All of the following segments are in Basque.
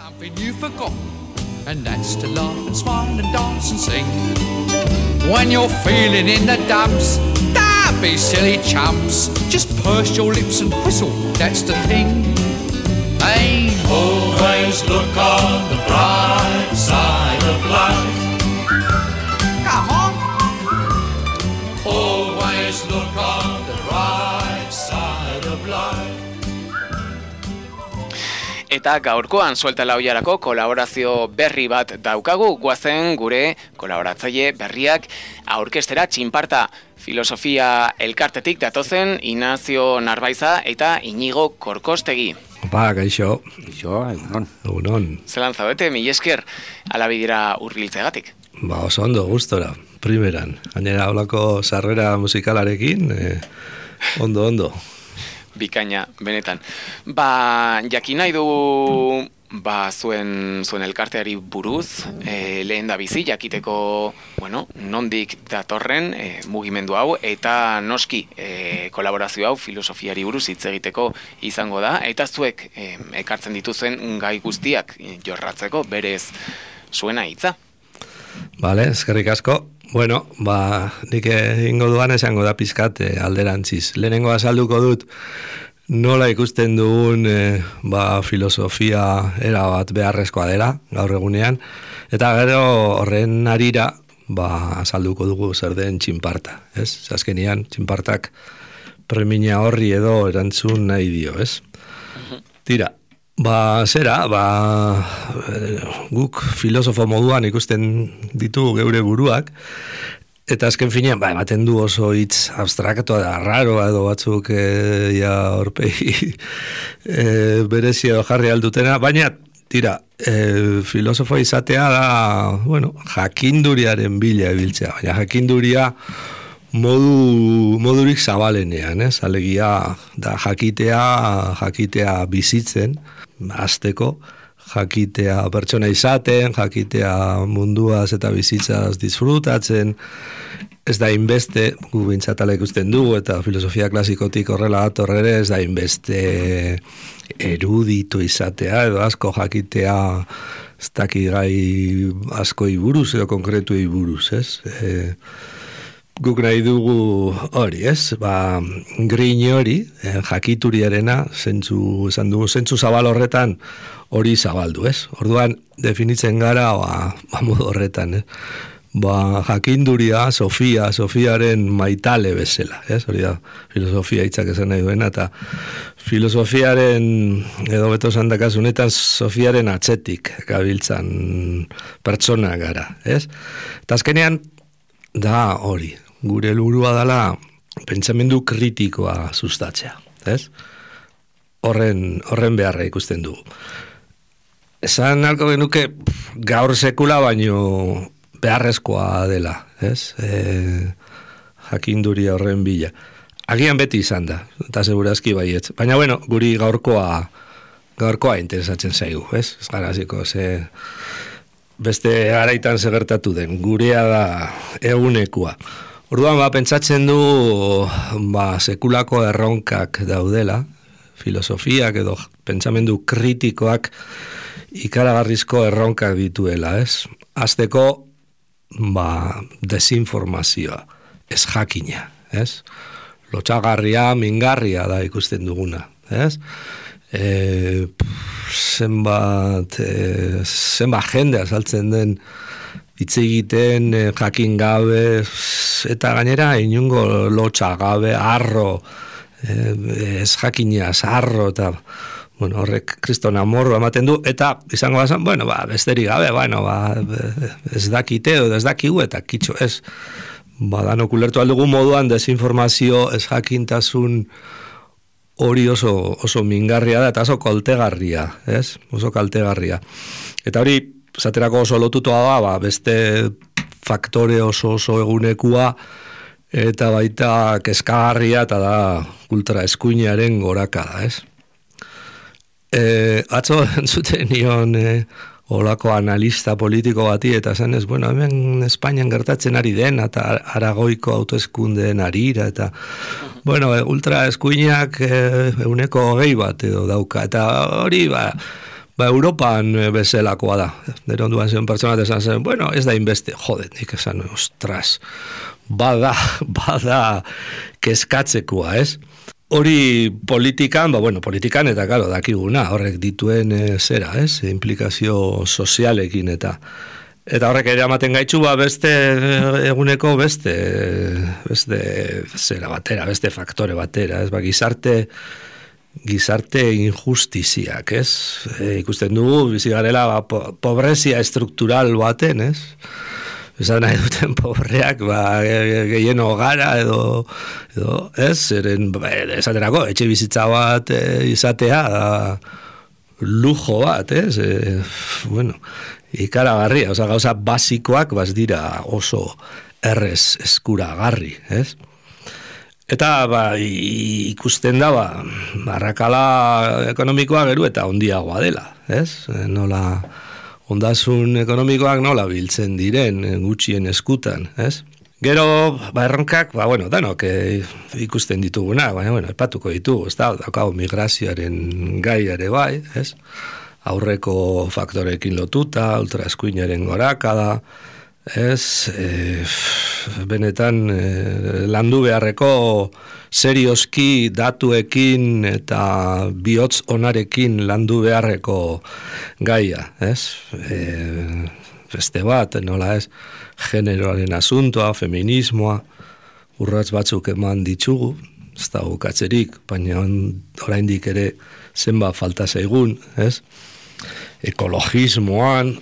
Something you forgot, and that's to laugh and smile and dance and sing. When you're feeling in the dumps, don't be silly chumps. Just purse your lips and whistle, that's the thing. Hey, always look on the bright side of life. Come on. Always look on the bright side of life. Eta gaurkoan Suelta la Ollarako kolaborazio berri bat daukagu, guazen gure kolaboratzaile berriak aurkestera Txinparta filosofia elkartetik datozen Ignacio Narbaiza eta Inigo Korkostegi. Opa, gaixo. Gaixo, egunon. Zelan zaudete, mila esker alabidira hurbiltzegatik. Ba, oso ondo, gustora, primeran. Gainera holako sarrera musikalarekin, ondo. Bikaina, benetan. Ba, jakin nahi du zuen elkarteari buruz, lehen da bizi, jakiteko, nondik datorren mugimendu hau, eta noski kolaborazio hau filosofiari buruz hitz egiteko izango da, eta zuek ekartzen dituzen gai guztiak jorratzeko berez zuena hitza. Bale, eskerrik asko. Bueno, nik ingo duan esango da pizkat alderantziz. Lehenengo azalduko dut nola ikusten dugun filosofia erabat beharrezkoa dela gaur egunean, eta gero horren harira azalduko dugu zer den Txinparta, ez? Azkenean Txinpartak premia horri edo erantzun nahi dio, ez? Tira, guk filosofo moduan ikusten ditu geure buruak, eta azken finean, ematen du oso hitz abstraktoa da, raroa edo batzuk horpegi berezi edo jarri aldutena, baina, tira, filosofo izatea da, jakinduriaren bila ibiltzea, baina jakinduria modurik zabalenean, ez? Alegia da jakitea bizitzen, hasteko, jakitea pertsona izaten, jakitea munduaz eta bizitzaz disfrutatzen, ez da inbeste, gu bintzatala ikusten dugu, eta filosofia klasikotik horrela dator ere, ez da inbeste eruditu izatea, edo asko jakitea ez daki gai askoi buruz, edo konkretuei buruz, ez? Guk nahi dugu hori, ez? Grin hori, jakituriarena, zentzu zabal horretan hori zabaldu, ez? Orduan, definitzen gara, modu horretan, ez? Jakinduria, Sofiaren maitale bezala, ez? Hori da, filosofia hitzak esan nahi duena, eta filosofiaren, edo beto zandakasunetan, Sofiaren atzetik gabiltzan pertsona gara, ez? Eta azkenean, da hori, gure helburua dela pentsamendu kritikoa sustatzea, ez? Horren beharra ikusten dugu. Esan alko genuke gaur sekula baino beharrezkoa dela, ez? Jakinduria horren bila. Agian beti izan da, eta segurazki baietz. Baina, guri gaurkoa interesatzen zaigu, ez? Ez gara ziko, beste garaitan segertatu den, gurea da egunekua. Orduan, pentsatzen du, sekulako erronkak daudela, filosofiak edo pentsamendu kritikoak ikaragarrizko erronkak dituela, ez? Hasteko, desinformazioa, ez jakina, ez? Lotsagarria, mingarria da ikusten duguna, ez? Zenbat jende azaltzen den hitz egiten jakin gabe, eta gainera inungo lotsa gabe, arro, ez jakinaz, arro, eta horrek kriston amorro ematen du, eta izango bazan, besterik gabe, ez dakite edo ez dakigu, eta kitxo, ez, danok ulertu aldugu moduan desinformazio, ez jakintasun hori oso mingarria da, eta oso kaltegarria, ez? Oso kaltegarria. Eta hori, zaterako oso lotutoa da, beste faktore oso egunekua, eta baita kezkagarria, eta da ultra eskuinaren gorakada, ez? Atzo entzuten nion olako analista politiko bati, eta zenez, hemen Espainian gertatzen ari den, eta Aragoiko autoeskundeen arira, eta ultra eskuinak euneko 20 bat edo dauka, eta hori, Europan bezalakoa da. Nero onduan zen pertsona esan zen, bueno, ez da inbeste, jode, nik esan, ostras, bada kezkatzekoa, ez? Hori politikan, politikan eta, karo, dakiguna, horrek dituen zera, ez? Implikazio sozialekin eta horrek ere amaten gaitxu, beste eguneko beste zera batera, beste faktore batera, ez? Gizarte injustiziak, ez? Ikusten dugu, bizi garela, pobrezia estruktural baten, ez? Esan nahi duten pobreak, gehieno gara edo ez, esaterako, etxe bizitza bat izatea, lujo bat, ez? Ikaragarria, gauza basikoak dira oso errez eskuragarri, ez? Eta ikusten da, arrakala ekonomikoa geru eta ondiagoa dela, ez? Nola ondasun ekonomikoak nola biltzen diren gutxien eskutan, ez? Gero, erronkak, danok ikusten dituguna, baina, epatuko ditugu, ez da, daukago migrazioaren gaiare bai, ez? Aurreko faktorekin lotuta, ultraeskuinaren gorakada, ez, benetan landu beharreko serioski datuekin eta bihotz onarekin landu beharreko gaia, ez? Beste bat, nola ez, generoaren asuntoa, feminismoa, urratz batzuk eman ditugu, ez da bukatzerik, baina oraindik ere zenba falta zaigun, ez? Ekologismoan,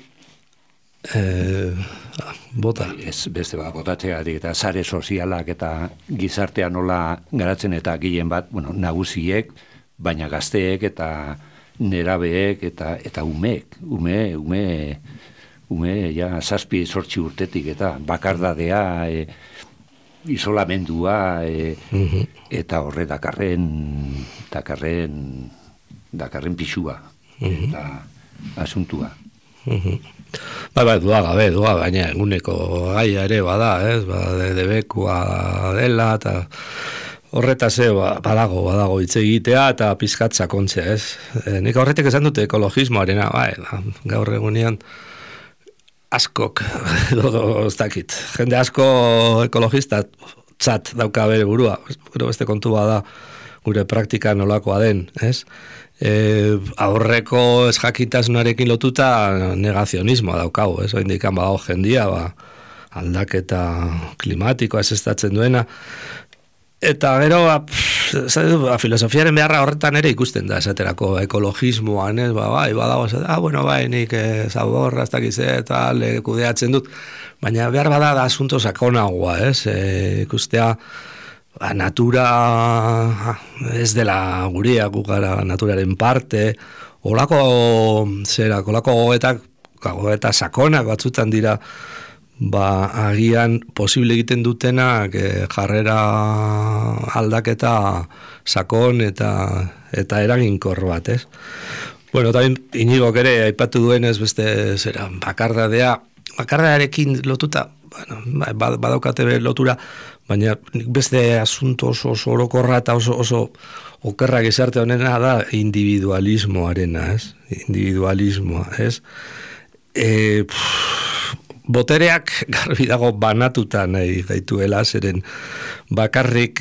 bota. Beste bat, botatzeatik eta sare sozialak eta gizartea nola garatzen eta gehien bat, nagusiek, baina gazteek eta nerabeek eta umeek, ja, 7-8 urtetik eta bakardadea, isolamendua, eta horre dakarren pixua, eta asuntua. Dua gabe, baina eguneko gaia ere bada, ez? Debekua dela, eta horretaz badago hitz egitea eta pizkat sakontzea, ez? Nik horretik esan dute ekologismoarena, gaur egunean askok, ez dakit, jende asko ekologista txat dauka bere burua, gero beste kontu bada gure praktika nolakoa den, ez? Aurreko esjakitasunarekin lotuta negazionismoa daukagu, ez? Oindikan badago jendia, aldaketa klimatikoa ezestatzen duena, eta gero filosofiaren beharra horretan ere ikusten da, esaterako ekologismoan, ez? Badago, nik zaborra, ez dakize, eta kudeatzen dut, baina behar bada da asunto sakonagoa, ez? Ikustea natura ez dela guria, gara naturaren parte, olako goeta sakonak batzutan dira, agian posible egiten dutenak jarrera aldaketa sakon eta eraginkor bat, ez? Eta Iñigok ere aipatu duenez beste bakardarekin lotuta, badaukate lotura, baina beste asunto oso orokorra eta oso okerra gizarte honena da individualismoarena, ez? Individualismoa, ez? Botereak garbi dago banatuta nahi gaituela, zeren bakarrik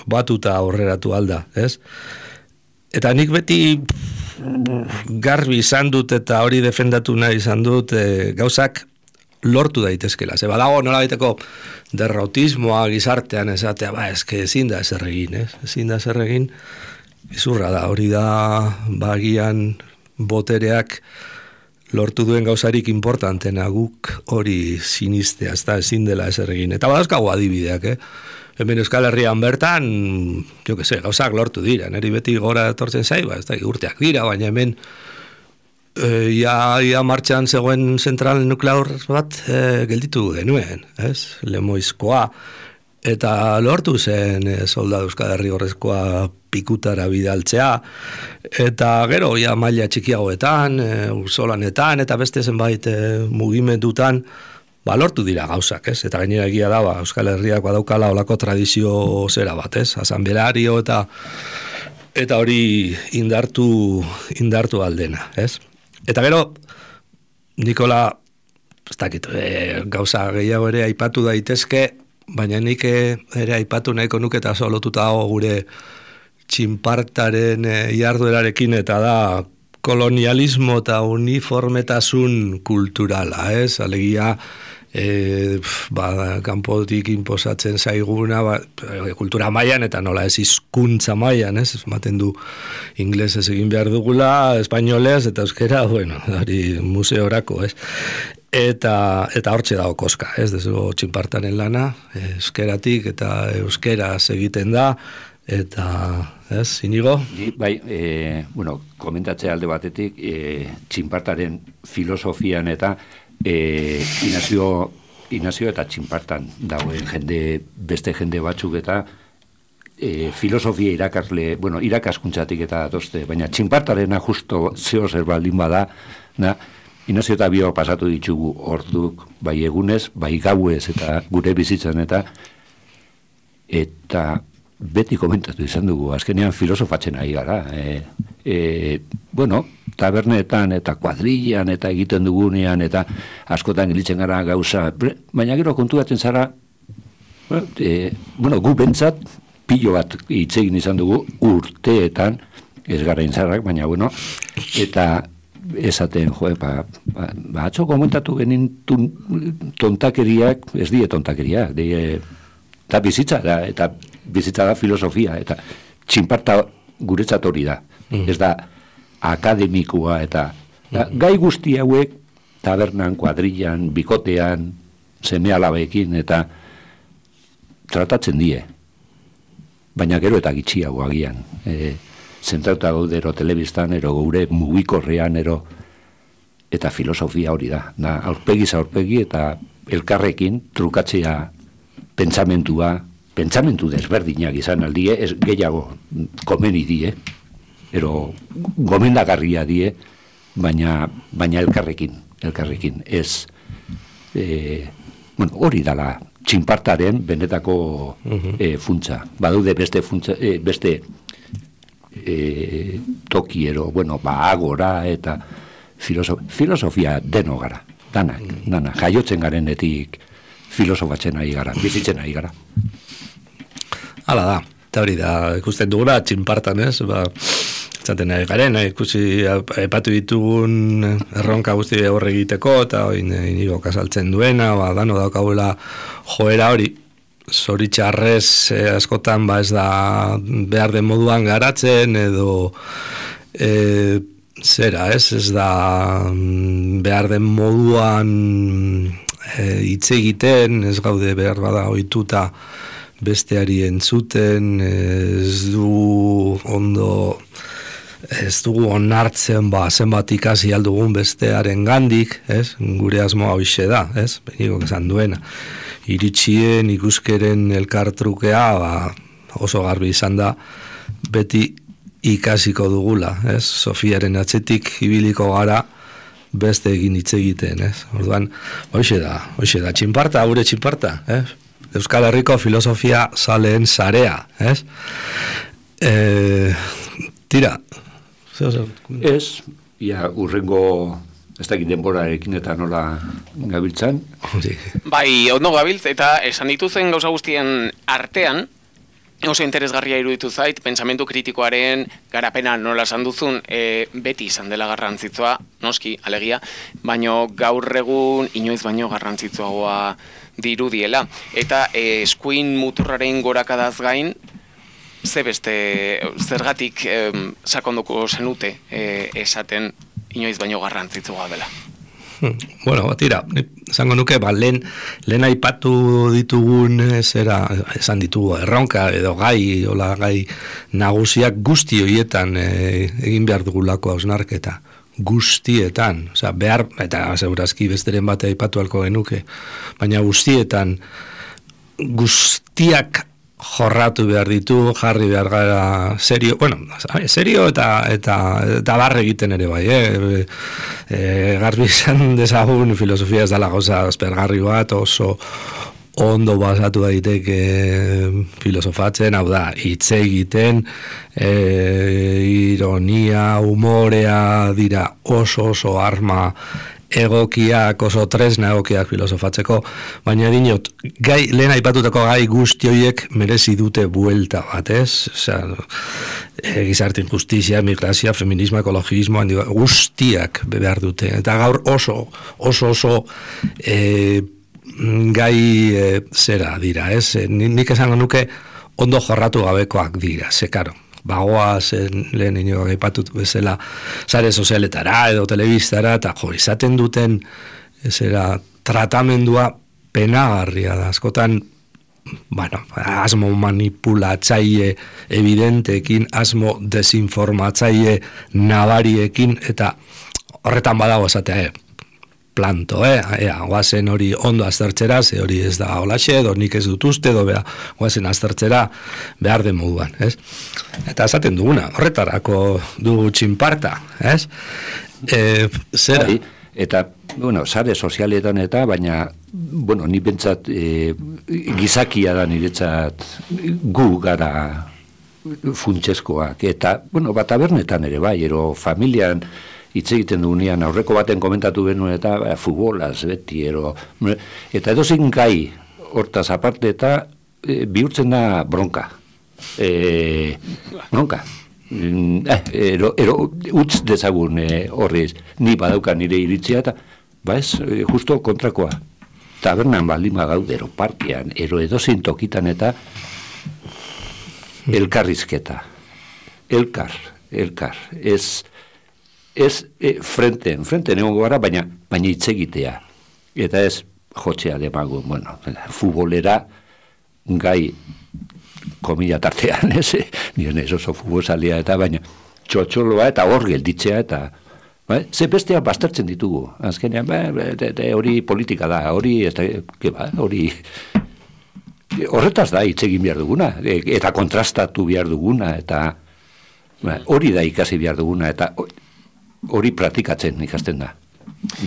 batuta aurreratu alda, ez? Eta nik beti garbi izan dut eta hori defendatu nahi izan dut gauzak lortu daitezkela. Badago nola baiteko derrotismoa gizartean esatea, ezin da ezer egin, ez? Ezin da ezer egin, izurra da, hori da bagian botereak lortu duen gauzarik importantena guk hori sinistea, ezin dela ezer egin. Eta badauzkago adibideak, Hemen Euskal Herrian bertan, gauzak lortu dira, neri beti gora etortzen zai, ez da, urteak dira, baina hemen ia martxan zegoen zentral nuklear bat gelditu genuen, ez? Lemoizkoa, eta lortu zen soldadu Euskal Herri horrezkoa pikutara bidaltzea, eta gero ia maila txikiagoetan, ursolanetan, eta beste zenbait mugimendutan, lortu dira gauzak, ez? Eta gainera egia da, Euskal Herriak badaukala olako tradizio zera bat, ez? Asanbelario eta hori indartu aldena, ez? Eta gero, Nikola, ez dakit, gauza gehiago ere aipatu daitezke, baina nik ere aipatu nahiko nuke eta solotuta dago gure txinpartaren jarduerarekin, eta da kolonialismo eta uniformetasun kulturala, ez? Alegia, kanpotik inposatzen zaiguna, kultura mailan eta nola ez hizkuntza mailan, ez? Ematen du inglesez egin behar dugula, espainolez eta euskera, bueno, hori museorako, ez? Eta hortxe dago koska, ez? Dezugo txinpartaren lana, euskeratik eta euskeraz egiten da, eta, ez, Inigo? Bai, komentatzea alde batetik, txinpartaren filosofian eta Inazio eta txinpartan dagoen beste jende batzuk eta filosofia irakaskuntzatik eta datoste, baina txinpartarena justo zeo zer baldin bada, Inazio eta bio pasatu ditugu orduk, bai egunez, bai gauez eta gure bizitzan eta beti komentatu izan dugu, azkenean filosofatzen ari gara. Tabernetan eta kuadrillan eta egiten dugunean eta askotan gilitzen gara gauza, baina gero konturatzen zara, gu bentsat pilo bat hitzegin izan dugu urteetan, ez gara inzarrak, baina eta esaten, atzo komentatu genin tontakeriak, ez die tontakeriak, eta bizitza da filosofia, eta txinparta guretzat hori da, ez da akademikoa, eta gai guzti hauek tabernan, kuadrillan, bikotean, seme alabeekin, eta tratatzen die, baina gero eta gitxiago agian, zentrauta gaudero telebistan, ero gure mugikorrean, eta filosofia hori da, aurpegi eta elkarrekin trukatzea pentsamentu desberdinak izan aldie, ez gehiago komeni die, ero gomendagarria die, baina elkarrekin, ez, hori dala txinpartaren benetako funtsa, badude beste funtsa, beste tokiero, agora eta filosofia deno gara, dana, jaiotzen garenetik filosofatzen ari gara, bizitzen ari gara. Hala da, eta hori da, ikusten dugula, txinpartan, ez? Zaten ari garen, ikusi aipatu ditugun erronka guzti horre egiteko, eta inigo kasaltzen duena, dano daukagula joera hori, zoritxarrez askotan ez da behar den moduan garatzen, edo zera, ez da behar den moduan hitz egiten, ez gaude behar bada ohituta besteari entzuten, ez dugu onartzen zenbat ikasi aldugun bestearen gandik, ez? Gure asmoa hoxe da, ez? Beniko esan duena. Iritsien ikuskeren elkartrukea oso garbi izan da, beti ikasiko dugula, ez? Sofiaren atzetik ibiliko gara beste egin hitz egiten, ez? Orduan, hoxe da, txinparta, gure txinparta, ez? Euskal Herriko filosofia zaleen sarea, ez? Tira. Ez, urrengo ez dakit denborarekin eta nola gabiltzan. Bai, ondo gabiltz, eta esan dituzen gauza guztien artean, oso interesgarria iruditu zait, pentsamentu kritikoaren garapena nola esan duzun, beti izan dela garrantzitsua, noski, alegia, baino gaur egun inoiz baino garrantzitsuagoa dirudiela. Eta eskuin muturraren gorakadaz gain, zergatik sakonduko zenute esaten inoiz baino garrantzitsua dela. Tira, esango nuke, lehen aipatu ditugun esan ditugu erronka edo gai nagusiak guzti horietan egin behar dugulako hausnarketa. Guztietan, behar, eta segurazki besteren bate aipatu alko genuke, baina guztietan guztiak jorratu behar ditu, jarri behar gara serio, serio eta barre egiten ere bai, garbi izan dezagun filosofia ez dela gauza aspergarri bat, oso ondo basatu daiteke filosofatzen, hau da, hitz egiten, ironia, humorea dira oso arma egokiak, oso tresna egokiak filosofatzeko, baina dinot, lehen aipatutako gai guzti horiek merezi dute buelta bat, ez? Osea, gizarte injustizia, migrazia, feminismo, ekologismo, guztiak behar dute. Eta gaur oso gai zera dira, ez? Nik esango nuke ondo jorratu gabekoak dira, karo. Bagoaz, lehen inoak aipatut bezala, sare sozialetara edo telebistara, eta izaten duten tratamendua penagarria da. Askotan, asmo manipulatzaile evidenteekin, asmo desinformatzaile nabariekin, eta horretan badago esatea, planto, guazen hori ondo aztertzera, ze hori ez da holaxe, edo nik ez dut uste, edo guazen aztertzera behar den moduan, ez? Eta esaten duguna, horretarako dugu txinparta, ez? Zera? Eta, sare sozialetan eta, baina, ni bentsat gizakia da niretzat gu gara funtseskoak, eta, tabernetan ere bai, ero familian hitz egiten dugunean, aurreko baten komentatu benuen eta futbolaz beti, eta edozein gai hortaz aparte eta bihurtzen da bronka. Bronka. Utz dezagun horrez, ni badauka nire iritzia eta, justo kontrakoa. Tabernan baldima gaudero, parkean, edozein tokitan eta elkarrizketa. Elkar. Ez frente egongo gara, baina hitz egitea. Eta ez jotzea demago, futbolera gai komila tartean, nire ez oso futbolzalea eta baina txotxoloa eta hor gelditzea eta ze bestea baztertzen ditugu. Azkenean, hori politika da, hori horretaz da hitz egin behar duguna, eta kontrastatu behar duguna, eta hori da ikasi behar duguna, eta hori praktikatzen ikasten da.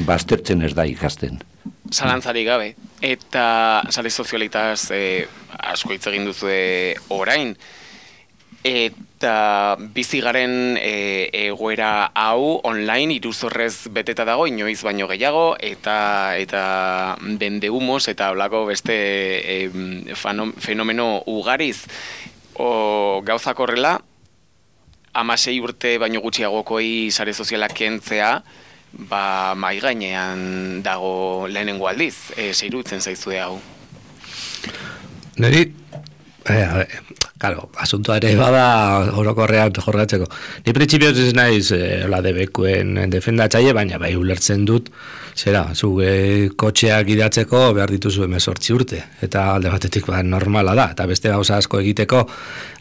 Baztertzen ez da ikasten. Zalantzari gabe. Eta sare sozialitaz asko hitz egin duzue orain. Eta bizigaren egoera hau online iruzorrez beteta dago, inoiz baino gehiago, eta dende humos eta holako beste fenomeno ugariz. Gauzak horrela, 16 urte baino gutxiagokoi sare sozialak kentzea, mai gainean dago lehenengo aldiz, zeirutzen zaizue hau. Neri, asuntoa ere bada orokorrean jorratzeko. Ni printzipioz ez naiz DBQen defendatzaile, baina bai ulertzen dut, kotxeak idatzeko behar dituzu 18 urte, eta alde batetik normala da, eta beste gauza asko egiteko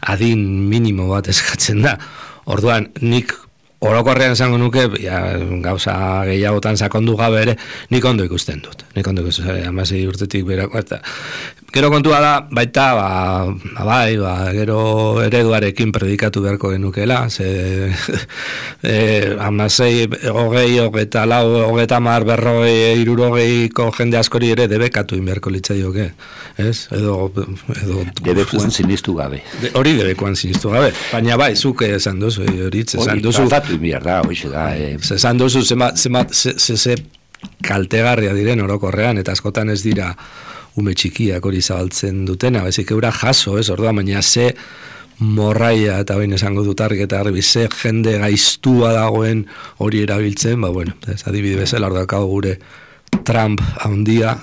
adin minimo bat eskatzen da. Orduan, nik orokorrean esango nuke, gauza gehiagotan sakondu gabe ere, nik ondo ikusten dut. 16 urtetik berako, eta gero kontua da, baita, gero ereduarekin predikatu beharko genukela, 16, 20, 24, 50, jende askori ere debekatu inberko litzaioke, ez? Edo debekuan sinistu gabe. Hori debekuan sinistu gabe, baina zuk esan duzu, hori esan duzu. Tratatu inbierda, hoxe da. Esan duzu, ze kaltegarria diren orokorrean, eta askotan ez dira ume txikiak hori zabaltzen dutena, bezik eura jaso, ez, orduan, baina ze morraia, eta bain esango dut argi eta garbi, ze jende gaiztua dagoen hori erabiltzen, adibide bezala, ordakau gure Trump handia,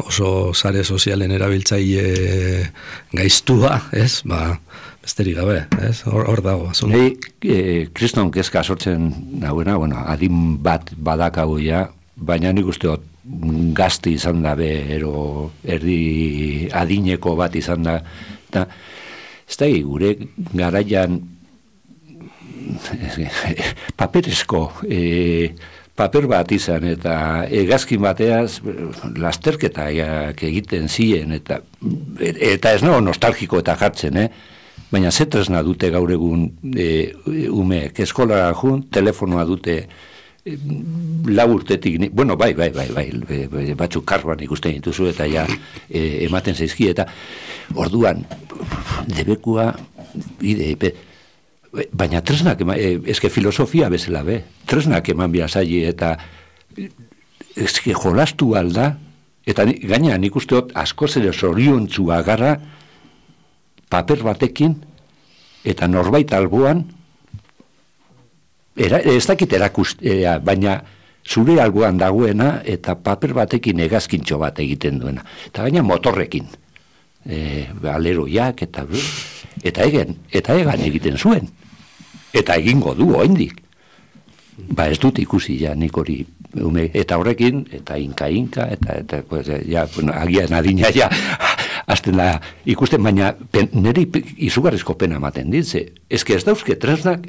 oso sare sozialen erabiltzaile gaiztua, ez, besterik gabe, ez, hor dago. Nei, kriston kezka sortzen nagoena, adin bat badakagoia, baina nik usteot gazti izan da erdi adineko bat izan da, eta ez da gure garaian paperezko paper bat izan, eta egazkin bateaz lasterketak egiten ziren, eta ez no nostalgiko eta jartzen, baina zetresna dute gaur egun umeek, eskolara jun, telefonoa dute 4 urtetik, bueno, bai, batzuk karban ikusten dituzu eta ja ematen zaizki, eta orduan, debekua, baina tresnak, eske filosofia bezala, tresnak eman biazai, eta eske jolastu alda, eta gaina nik usteot asko zere zoriontzua gara paper batekin eta norbait alboan ez dakit erakustea, baina zure alboan dagoena eta paper batekin hegazkintxo bat egiten duena. Eta gaina motorrekin. Aleroiak eta egan egiten zuen. Eta egingo du oraindik. Ez dut ikusi ja nik hori eta horrekin, eta inka, eta pues, ja, bueno, agian adina ja, azten da ikusten, baina niri izugarrizko pena ematen ditze. Ez dauzke tresnak,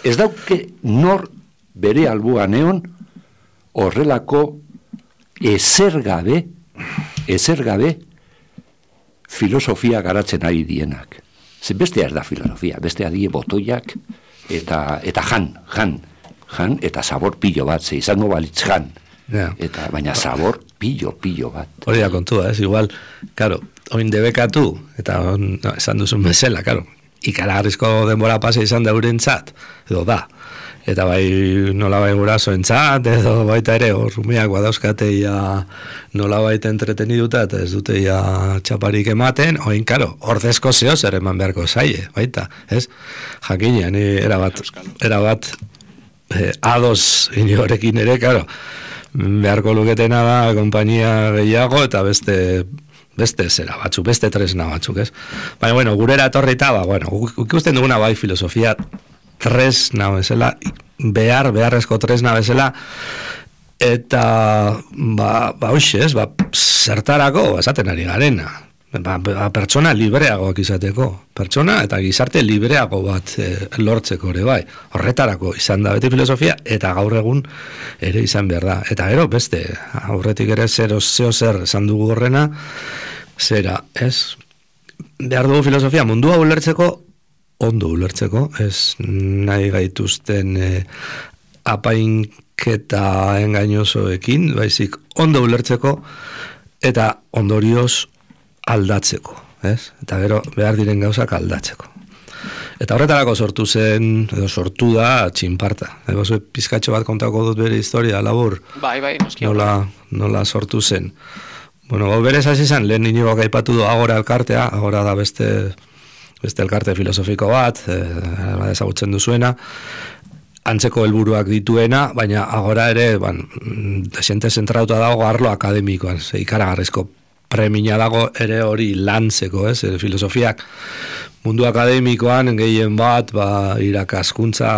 ez dauke nor bere albuan egon horrelako ezer gabe filosofia garatzen ari dienak. Bestea ez da filosofia, bestea die botoiak eta jan, eta sabor pillo bat, izango balitz jan. Yeah. Eta baina sabor pillo bat. Hori da kontua, igual, karo, oin debekatu, eta esan duzun bezala, karo, ikaragarrizko denbora pasa izan da urentzat, edo da, eta bai nolabait gurasoentzat, edo baita ere, rumeak badauzkateia nolabait entreteniduta, eta ez duteia txaparik ematen, oin, karo, ordezko zeo zer eman beharko zaie, baita, ez? Jakinean, erabat, ados inorekin ere, karo, beharko luketena da konpainia gehiago eta beste zera batzuk, beste tresna batzuk, ez? Baina, bueno, gurera etorrita, bueno, ikusten duguna bai filosofia tresna bezala, beharrezko tresna bezala, eta, hoxe, ez, zertarako, esaten ari garena, pertsona libreagoak izateko, pertsona eta gizarte libreago bat lortzeko ere bai, horretarako izan da beti filosofia, eta gaur egun ere izan behar da, eta gero beste, aurretik ere zer esan dugu horrena, zera, ez, behar dugu filosofia mundua ulertzeko, ondo ulertzeko, ez nahi gaituzten apainketa engainosoekin, baizik ondo ulertzeko, eta ondorioz aldatzeko, ez? Eta gero behar diren gauzak aldatzeko. Eta horretarako sortu da txinparta. Pizkatxo bat kontako dut bere historia, labur. Bai, noski. Nola sortu zen. Bueno, berez hasi zen, lehen Inigoak aipatu du Agora elkartea, Agora da beste elkarte filosofiko bat, ezagutzen duzuena, antzeko helburuak dituena, baina Agora ere, desente zentrauta dago arlo akademikoan, ikaragarrizko premia dago ere hori lantzeko, ez? Filosofiak mundu akademikoan gehien bat, irakaskuntza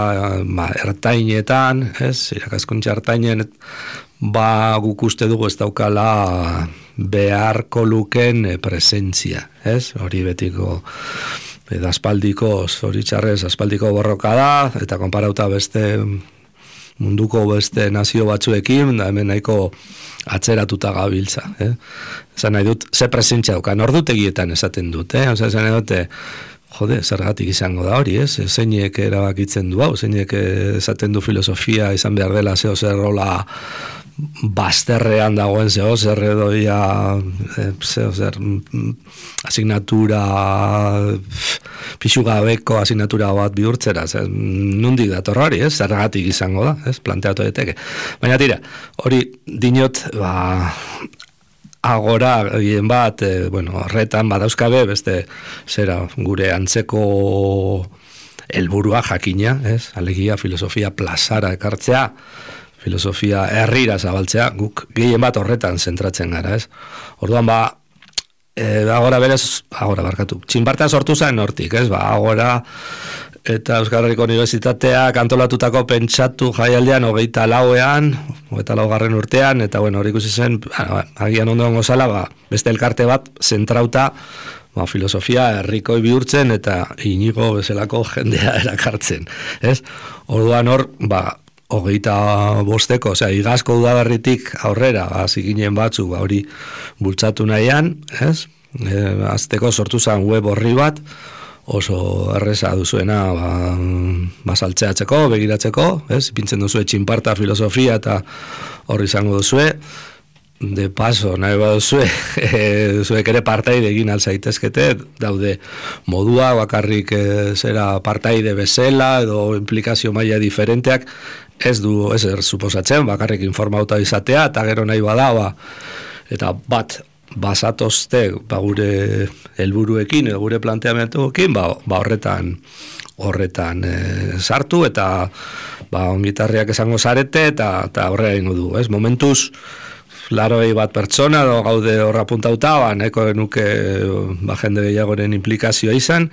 ertainetan, ez? Irakaskuntza ertainen guk uste dugu ez daukala beharko luken presentzia, ez? Hori betiko aspaldiko borroka da, eta konparauta munduko beste nazio batzuekin, da hemen nahiko atzeratuta gabiltza. Esan nahi dut, ze presentzia dukan, ordutegietan esaten dut, esan nahi dute, zergatik izango da hori, zeinek erabakitzen du hau, zeinek esaten du filosofia izan behar dela zeo zer rola bazterrean dagoen zeo zer edoia zer asignatura pixugabeko asignatura bat bihurtzera, nundik dator hori, zergatik izango da, planteatu daiteke. Baina tira, hori dinot, Agora, egin bat, horretan badauzkabe, beste, gure antzeko helburua jakina, alegia filosofia plazara ekartzea, filosofia herrira zabaltzea, guk gehien bat horretan zentratzen gara, Orduan, Agora barkatu, txinparta sortu zen hortik, Agora eta Euskal Herriko Unibertsitateak antolatutako pentsatu jaialdean 24. urtean, eta hori ikusi zen, agian ondoan gozala, beste elkarte bat zentrauta filosofia herrikoi bihurtzen eta Inigo bezalako jendea erakartzen, Orduan hor, 25, igazko udaberritik aurrera, zikinen batzuk, hori bultzatu nahian, azteko sortu zen web horri bat, oso erreza duzuena ba saltzeatzeko, begiratzeko, ez? Ipintzen duzue txinparta filosofia eta hor izango duzue. De paso, nahi baduzue, zuek ere partaide egin alzaitezkete, daude modua, bakarrik zera partaide bezala, edo implikazio maila diferenteak, ez suposatzen, bakarrik informauta izatea, eta gero nahi bada, eta bat basatozte gure helburuekin, edo gure planteamentuekin, horretan sartu, eta ongitarriak esango zarete, eta horre egingo du, ez? Momentuz, 81 pertsona gaude horra puntauta, nahiko genuke jende gehiagoren implikazioa izan,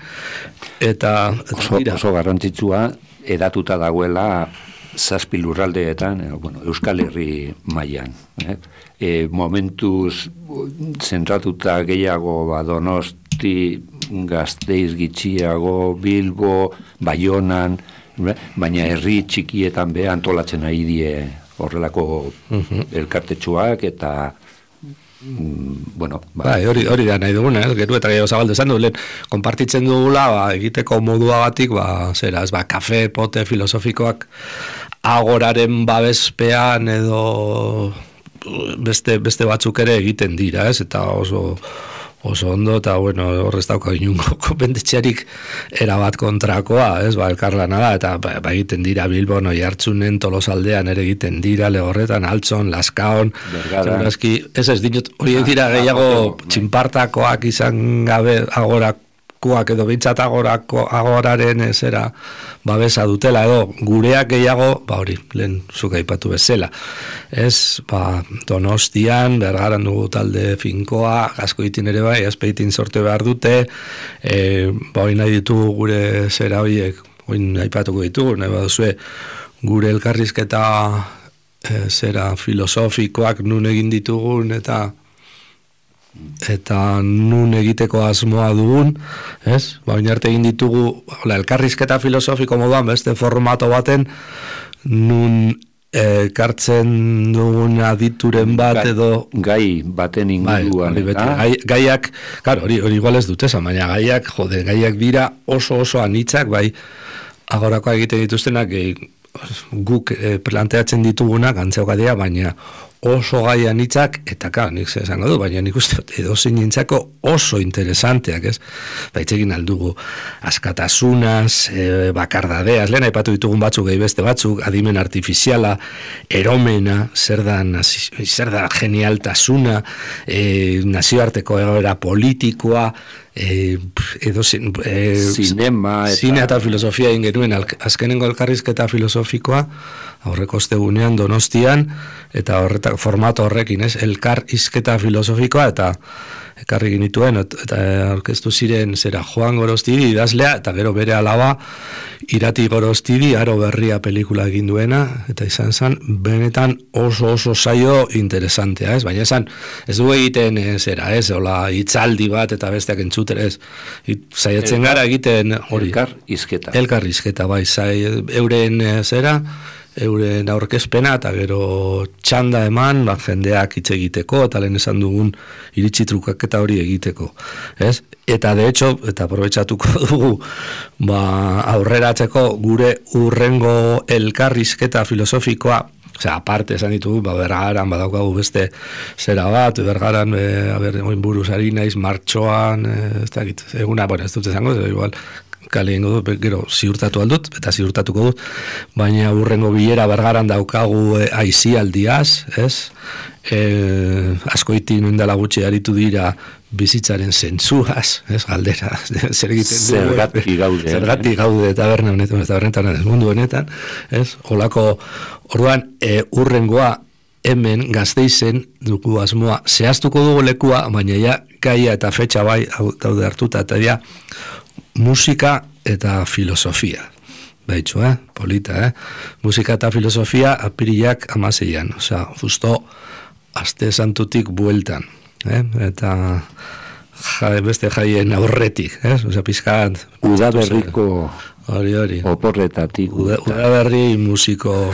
eta oso garrantzitsua edatuta dagoela 7 lurraldeetan, Euskal Herri mailan. Momentuz zentratuta gehiago Donosti, Gasteiz gitxiago, Bilbo, Baionan, baina herri txikietan be antolatzen ari die horrelako elkartetxuak eta hori da nahi duguna, gero eta gehiago zabaldu esan du, lehen konpartitzen dugula egiteko modua batik, kafe, pote filosofikoak agoraren babespean edo beste batzuk ere egiten dira, ez? Eta oso ondo, eta horrez dauka inungo konpendetxerik erabat kontrakoa, ez, elkarlana da, eta egiten dira Bilbon, Oiartzunen, Tolosaldean ere egiten dira, Legorretan, Altson, Laskaon, segurazki, ez dinot, horiek dira gehiago txinpartakoak izan gabe agorakoak edo bintzat agoraren zera babesa dutela, edo gureak gehiago, hori, lehen zuk aipatu bezala. Ez, Donostian, Bergaran dugu talde finkoa, Gaskoitin ere bai, Azpeitin sorte behar dute, hori nahi ditugu gure zera horiek, hori aipatuko ditugu, nahi baduzue gure elkarrizketa zera filosofikoak nun egin ditugun, eta nun egiteko asmoa dugun, ez? Baina arte egin ditugu elkarrizketa filosofiko moduan beste formato baten nun kartzen dugun adituren bat edo gai baten inguruan. Gaiak, hori igual ez dut esan, baina gaiak dira oso anitzak, agorakoa egiten dituztenak guk planteatzen ditugunak antzeokadia, baina oso gai anitzak, eta nik esango du, baina nik uste edozein nintzako oso interesanteak, ez? Baitzekin aldugu askatasunaz, bakardadeaz, lehen aipatu ditugun batzuk, beste batzuk, adimen artifiziala, eromena, zer da genialtasuna, nazioarteko egoera politikoa, sinema eta filosofia egin genuen azkenengo elkarrizketa filosofikoa aurreko ostegunean Donostian, eta formato horrekin, ez, elkarrizketa filosofikoa, eta ekarri ginituen, eta aurkeztu ziren zera Joan Gorostidi idazlea, eta gero bere alaba Irati Gorostidi Aro Berria pelikula egin duena, eta izan zen benetan oso saio interesantea, ez? Baina ez du egiten zera, ez? Hola hitzaldi bat eta besteak entzuten, ez? Saiatzen gara egiten hori. Elkarrizketa, bai, euren zera, euren aurkezpena, eta gero txanda eman, jendeak hitz egiteko, eta lehen esan dugun iritsi trukaketa hori egiteko, ez? Eta de hecho, eta aprobetxatuko dugu, aurreratzeko gure urrengo elkarrizketa filosofikoa, aparte esan ditugu, Bergaran badaukagu beste zera bat, Bergaran, oin buruz ari naiz, martxoan, eguna, ez dut esango, igual, kale ingo dut, gero ziurtatu aldut, eta ziurtatuko dut, baina urrengo bilera Bergaran daukagu aizialdiaz, ez? Azkoitin indala gutxi aritu dira bizitzaren zentzuaz, ez, galdera, zer egiten dugu, zergatik gaude taberna honetan, mundu honetan, ez? Olako, orduan, urrengoa hemen Gasteizen dugu asmoa, zehaztuko dugu lekua, baina ja gaia eta fetxa bai daude hartuta, eta ja musika eta filosofia. Baitxo, polita, musika eta filosofia apirilak 16an, justo aste santutik bueltan, eta beste jaien aurretik, pizkat udaberriko Hori. Oporretatik. Udaberri musiko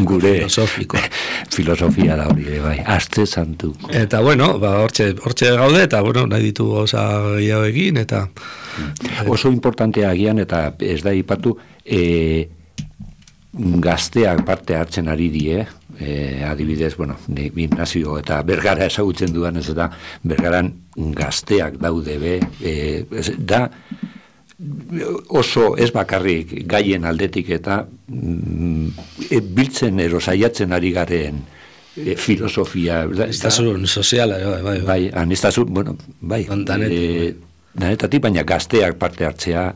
gure filosofiko. Filosofia da hori, bai. Aste santu. Eta, bueno, hortxe gaude, eta, bueno, nahi ditu gauza gehiago egin, eta... Oso importantea agian, eta ez da ipatu, gazteak parte hartzen ari die, adibidez, bueno, gimnasio eta Bergara ezagutzen duan ez, eta Bergaran gazteak daude be, da oso ez bakarrik gaien aldetik eta biltzen saiatzen ari garen filosofia. Anistazun soziala, bai. Bai, anistazun, bueno, bai. Danetatik, baina gazteak parte hartzea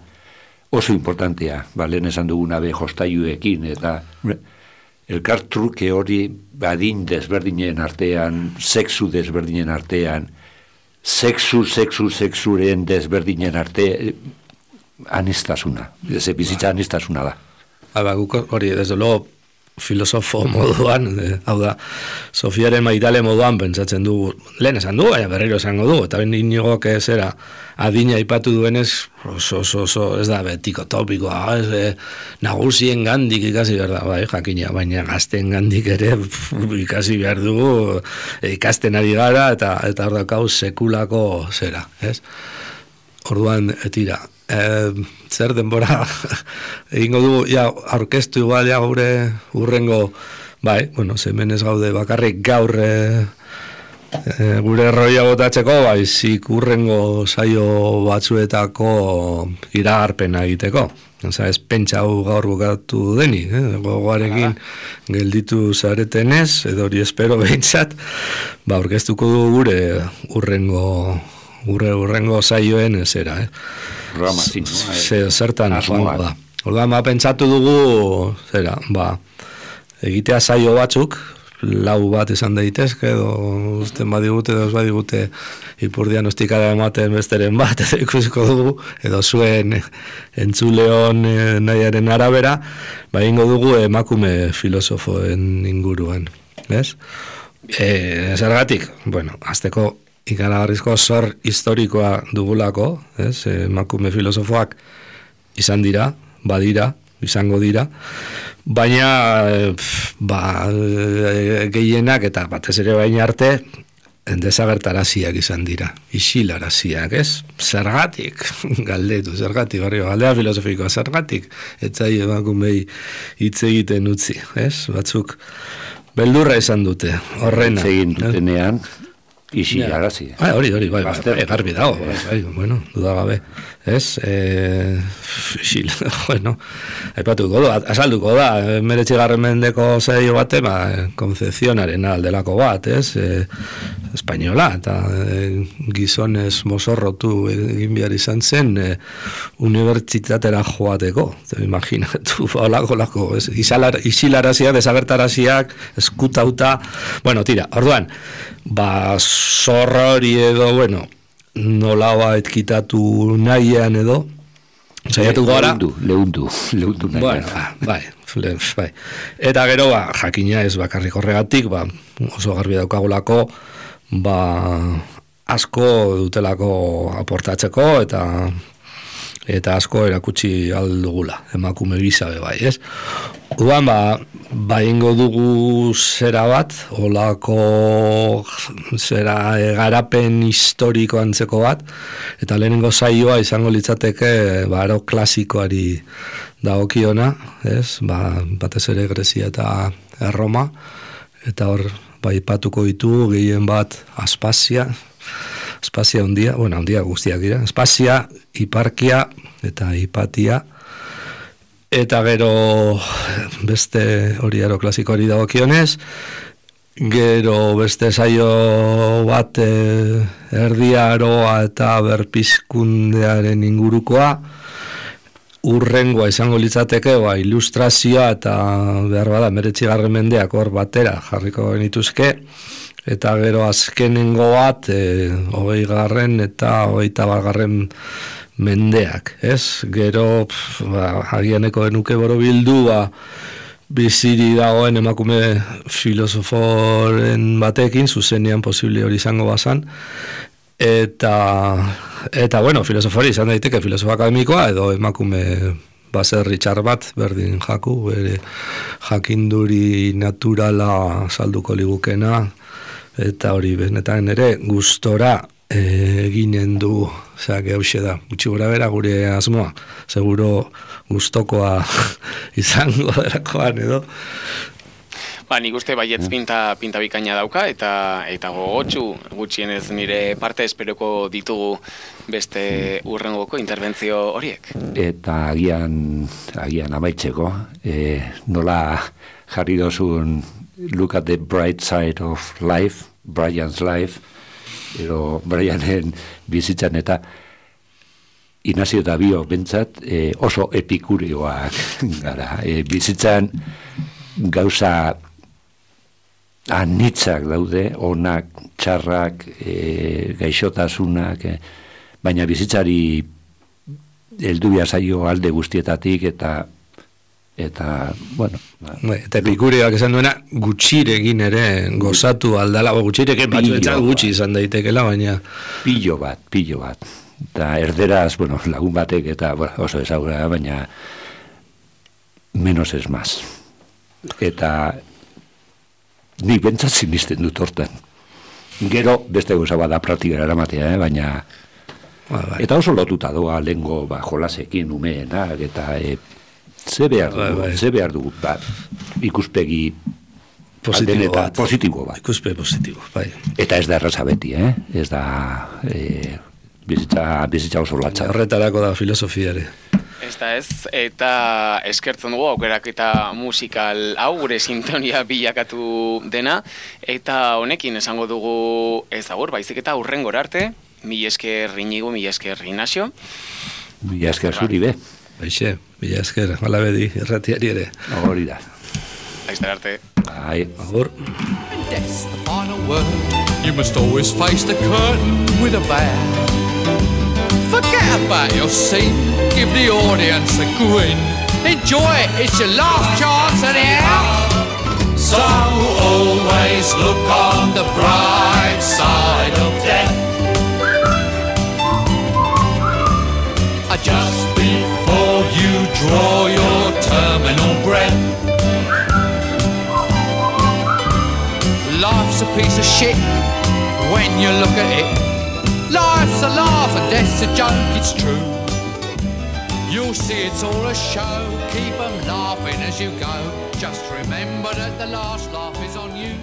oso importantea, lehen esan duguna be jostailuekin, eta elkartruke hori adin desberdinen artean, sexu desberdinen artean, sexuren desberdinen artean, anistazuna, bizitza anistazuna da. Guk hori, desde luego, filosofo moduan, hau da, Sofiaren Maitale moduan pentsatzen dugu, lehen esan dugu, baina berriro esango dugu, eta ben Inigo zera adina aipatu duenez, oso, ez da betiko topikoa, nagusien gandik ikasi behar da, bai, jakina, baina gazten gandik ere ikasi behar dugu, ikasten ari gara, eta hor dakau sekulako zera, ez? Orduan, etira, zer denbora egingo dugu, aurkeztu igual gure urrengo, bai, bueno, zemenez gaude bakarrik gaur gure roia botatzeko, bai, zik urrengo saio batzuetako iragarpena egiteko. Osa, ez pentsa hau gaur bukatu deni, gogoarekin gelditu zaretenez, edo hori espero behintzat, aurkeztuko dugu gure urrengo saioen zera, Ramazin, zertan joango da. Orduan, pentsatu dugu, zera, egitea saio batzuk, 4 bat esan daitezke, edo usten badigute, edo ez badigute ipurdianostikara ematen besteren bat, edo ikusiko dugu, edo zuen entzuleon nahiaren arabera, ingo dugu emakume filosofoen inguruan, ez? Zergatik, bueno, azteko ikaragarrizko zor historikoa dugulako, ez? Emakume filosofoak izan dira, badira, izango dira, baina gehienak eta batez ere baina arte desagertaraziak izan dira, isilaraziak, ez? Zergatik, galdetu, zergatik, galdea filosofikoa, zergatik, etzai emakumei hitz egiten utzi, ez? Batzuk beldurra izan dute, horrena. Hitz egin dutenean, isilarazi. Hori, garbi dago, bueno, dudagabe, ez? Bueno, aipatuko da, asalduko da, 19. mendeko saio bate, Konzepzionaren aldelako bat, ez? Espainola, eta gizonez mozorrotu egin behar izan zen unibertsitatera joateko, imaginatu, olako, isilaraziak, desagertaraziak, eskutauta, bueno, tira, orduan, zorra hori edo, bueno, nolaua etkitatu nahian edo, saiatu gara. Lehundu nahian. Bueno, bai. Eta gero, jakina ez bakarrik horregatik, oso garbi daukagulako, asko dutelako aportatzeko, eta asko erakutsi aldugula, emakume gizabe bai, ez? Udan, ingo dugu zera bat, olako zera garapen historiko antzeko bat, eta lehenengo saioa izango litzateke, aro klasikoari dagokiona, ez? Batez ere Grezia eta Erroma, eta hor, ipatuko ditu gehien bat Aspazia handia, handia guztiak dira, Aspazia, Hiparkia eta Hipatia, eta gero beste hori aro klasikoari dagokionez, gero beste saio bat erdiaroa eta berpizkundearen ingurukoa, urrengoa izango litzateke, ilustrazioa eta behar bada 19. mendeak hor batera jarriko genituzke, eta gero azkenengo bat 20. eta 21. mendeak, ez? Gero, agianeko genuke borobildu, biziri dagoen emakume filosoforen batekin, zuzenean posible hori izango bazan, eta bueno, filosofori izan daiteke filosofa akademikoa, edo emakume baserri txar bat, berdin jaku, bere jakinduri naturala salduko ligukena, eta hori benetan ere gustora eginen du, hauxe da, gutxi gura bera gure asmoa, seguro gustokoa izango delakoan edo. Nik uste baietz pinta bikaina dauka, eta gogotsu gutxienez nire parte esperoko ditugu beste urrengoko interbentzio horiek. Eta agian amaitzeko, nola jarri dozun look at the bright side of life, Brian's life, edo Brianen bizitzan eta Inazio eta Bio bentsat oso epikurioak gara. Bizitzan gauza anitzak daude, onak, txarrak, gaixotasunak, baina bizitzari heldu zaio alde guztietatik eta bueno. Eta epikureak esan duena, gutxirekin ere gozatu aldala, gutxirekin batzuetzat gutxi izan daitekela, baina... Pilo bat. Eta erderaz, lagun batek eta oso ezagura, baina menos es más. Eta nik bentsat sinisten dut hortan. Gero beste gauza bada praktikara eramatea, baina... Eta oso lotuta doa lehengo jolasekin umeenak, eta ze behar dugu, ikuspegi positibo bat. Ikuspegi positibo, bai. Eta ez da erraza beti, ez da bizitza oso latza. Horretarako da filosofiare. Eta eskertzen dugu aukeraketa musikal hau gure sintonia bilakatu dena, eta honekin esango dugu ez agur, baizik eta hurrengora arte, mila esker Inigo, mila esker Ignacio. Mila esker zuri be. Baixe, mila esker, malabedi, erratiari ere. Hori da. Laizter arte. Bai. Agur. And that's the final word. You must always face the curtain with a bow. Forget about your scene, give the audience a grin. Enjoy it, it's your last chance anyhow. So always look on the bright side of death. Just before you draw your terminal breath. Life's a piece of shit when you look at it. Life's a laugh and death's a joke, it's true. You'll see it's all a show, keep 'em laughing as you go. Just remember that the last laugh is on you.